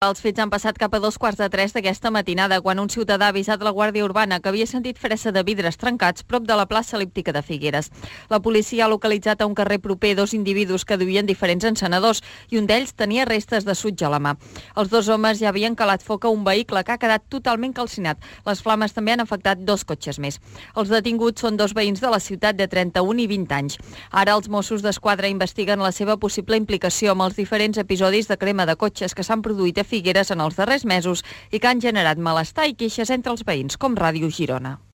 Els fets han passat cap a 2:15 d'aquesta matinada, quan un ciutadà ha avisat la Guàrdia Urbana que havia sentit fressa de vidres trencats prop de la plaça El·líptica de Figueres. La policia ha localitzat a un carrer proper 2 individus que duien diferents encenedors i un d'ells tenia restes de sutge a la mà. Els 2 homes ja havien calat foc a un vehicle que ha quedat totalment calcinat. Les flames també han afectat 2 cotxes més. Els detinguts són 2 veïns de la ciutat de 31 i 20 anys. Ara els Mossos d'Esquadra investiguen la seva possible implicació amb els diferents episodis de crema de cotxes que s'han produït a Figueres en els darrers mesos i que han generat malestar i queixes entre els veïns, com Ràdio Girona.